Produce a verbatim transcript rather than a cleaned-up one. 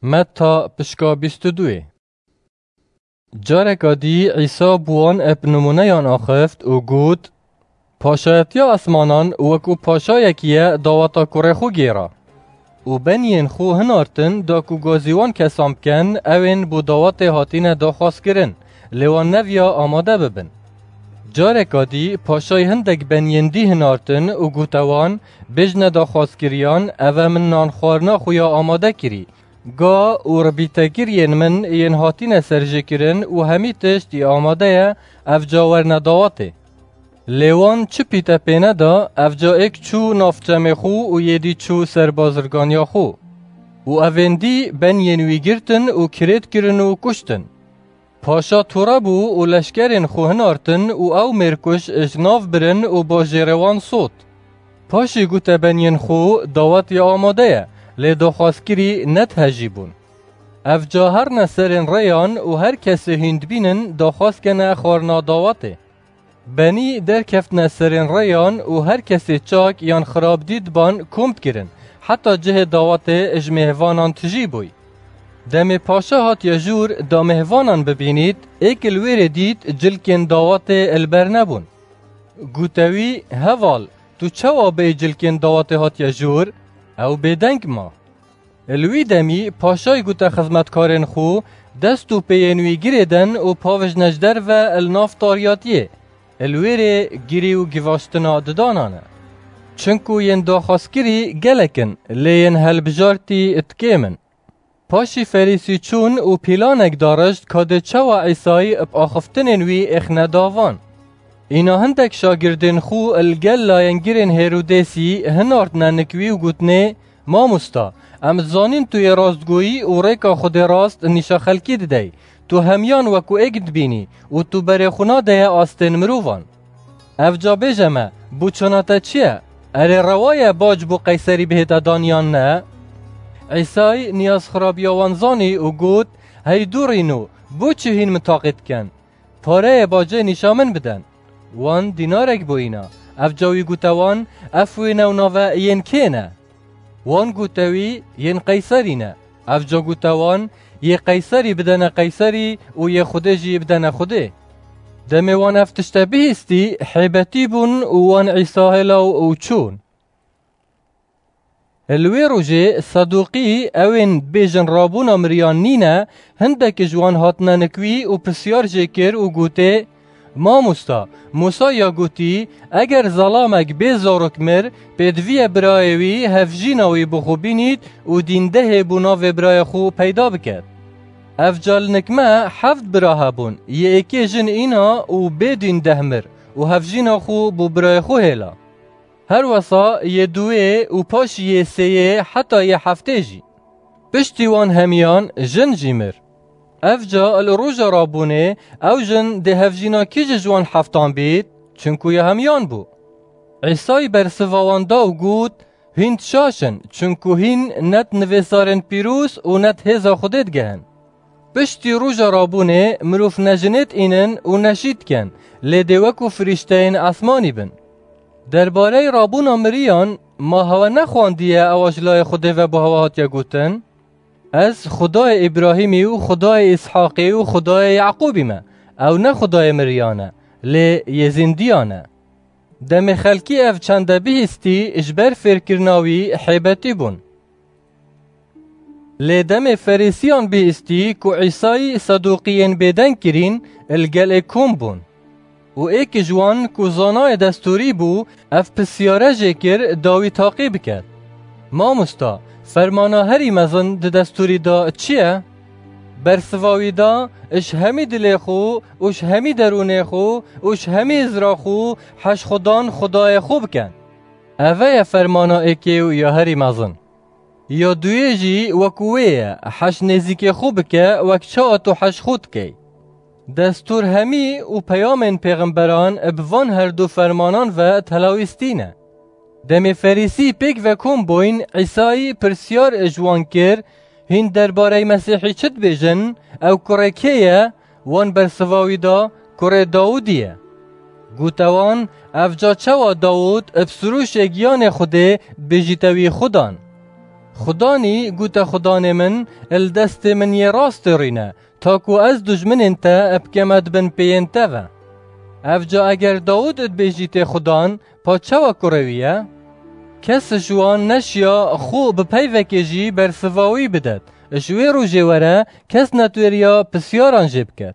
Metta pişka bîst û duyê. Careka dî Îsa bi wan eb nimûneyan axift û got, Paşayetiya esmanan wekû paşayekî ye daweta kurê xwe gêra. Û beniyên xwe hinartin da ku gazî wan kesan biken, ew ên bo dawetê hatine daxwazkirin, lê wan neviya amade bibin. Careka dî paşayî hindek beniyên dî hinartin û gote wan, Bêjne daxwazkiriyan, eve min nan xwarina xwe ya amade kirî. Ga û ribîtekiriyên min yên hatine serjêkirin û hemî tişt yê amade ye, evca werne dawetê. Lê wan çi pîte pê neda, evca êk çû nav çemê xwe û yê dî çû ser bazirganiya xwe. Û evên dî beniyên wî girtin û kirêt kirin û kuştin. Paşa tore bû û leşkerên xwe hinartin û ew mêrkuş ji nav birin û bajêrê wan sot. Paşî gote beniyên xwe, Dawet ya amade ye, lê daxwazkirî ne tihejî bûn. Evca herne serên rêyan û her kesê hîn dibînin daxwaz kene xwarina dawetê. Benî derkeftine serên rêyan û her kesê çak yan xirab dîtban kom dikirin, heta cihê dawetê ji mêhvanan tijî bûy. Demê paşa hatiye jûr da mêhvanan bibînît, êk li wê rê dît cilkên dawetê li ber nebûn. Gote wî, Heval, tu çawa bêyî cilkên dawetê hatiye jûr? Ew bêdeng ma. Li wî demî paşayî gote xizmetkarên xwe, Dest û pêyên wî girêden û pavijne ji derve li nav tariyatiyê. Li wê rê girî û givaştina didanan e. Çinku yên daxwazkirî gelek in, lê yên helbijartî di kêm in. Paşî Ferîsî çûn û pîlanek darişt ka dê çawa Îsayî bi axiftinên wî êxne davan. Îna hindek şagirdên xwe li gel layengirên Hêrodêsî hinartine nik wî û gotinê, Mamosta, em zanîn tu yê rastgoyî û rêka Xwedê rast nîşa xelkî didey. Tu hemiyan wekû êk dibînî û tu berê xwe nadeye astên mirovan. Evca bêje me, boçana te çi ye? Erê rewa ye bac bo Qeyserî bihête dan yan ne? Îsay niyazxirabiya wan zanî û got, Hey dûrîno, boçi hîn min taqî dikin? Pareyê bacê nîşa min biden. Wan dînarek bûyîna. Evca wî gote wan, Ev wêne û nave yên kê ne? Wan gote wî, Yên Qeyserî ne. Evca gote wan, Yê Qeyserî bidene Qeyserî û yê Xwedê jî bidene Xwedê. Demê wan ev tişte bihîstî, hêbetî bûn û wan Îsa hêlaw û çûn. Li wê rojê Sedûqî, ew ên bêjin rabûna miriyan nîne, hindek ji wan hatine nik wî û pisyar jê kir û gotê, Mamosta, Musa ya gotî, eger zelamek bê zarok mir, pêdivî ye birayê wî hevjîna wî bi xwe bînît û dîndehê bo navê birayê xwe peyda biket. Evca li nik me heft bira hebûn, yê êkê jin îna û bê dîndeh mir û hevjîna xwe bo birayê xwe hêla. Her wesa yê duwê û paşî yê sêyê heta yê heftê jî. Piştî wan hemiyan jin jî mir. Evca li roja rabûnê ew jin dê hevjîna kî ji ji wan heftan bît, çinku ya hemiyan bû. Îsay bersiva wan da û got, Hîn şaş in, çinku hîn ne di nivîsarên pîroz û ne di hêza Xwedê digehin. Piştî roja rabûnê mirov ne jinê diînin û ne jî dikin, lê dê wekû firîşteyên esmanî bin. Derbareyê rabûna miriyan, ma hewe nexwandiye ewa ji layê Xwedê ve bo hewe hatiye gotin, Ez Xwedayê Îbrahîmî û Xwedayê Îshaqî û Xwedayê Yaqûbî me, ew ne Xwedayê miriyan e, lê yê zîndiyan e. Demê xelkî ev çende bihîstî, ji ber fêrkirina wî hêbetî bûn. Lê demê Ferîsiyan bihîstî ku Îsayî Sedûqiyên bêdeng kirîn, li gelê kom bûn. Û êk ji wan ku zanayê destûrî bû, ev pisyare jê kir da wî taqî biket. Mamosta, fermana herî mezin di destûrî de çi ye? Bersiva wî da, Ji hemî dilê xwe û ji hemî derûnê xwe û ji hemî hizra xwe heş Xudan Xwedayê xwe bikin. Eve ye fermana êkê û ya herî mezin. Ya duyê jî wekû wê ye, heş nêzîkê xwe bike wek çawa tu heş xwe dikey. Destûr hemî û peyamên pêxemberan bi van her du fermanan ve telawîstî ne. Demê Ferîsî pêk ve kom bûyn, Îsayî pirsyar ji wan kir, Hîn derbarey Mesîhî çi dibêjin? Ew kurê kê ye? Wan bersiva wî da, Kurê Dawûdî ye. Gote wan, Evca çawa Dawûd bi sirûşê giyanê Xwedê dibêjîte wî Xudan? Xudanî gûte, Xudanê min, li destê min yê rastê rîne, ta ku ez dujminên te bikeme di bin pêyên te ve. Ev ca eger Dawûd dibêjîtê Xudan, pa çawa kurê wî ye? Kes ji wan neşiya xwe bi peyvekê jî bersiva wî bidet. Ji wê rojê were kes netwêriya pisyaran jê biket.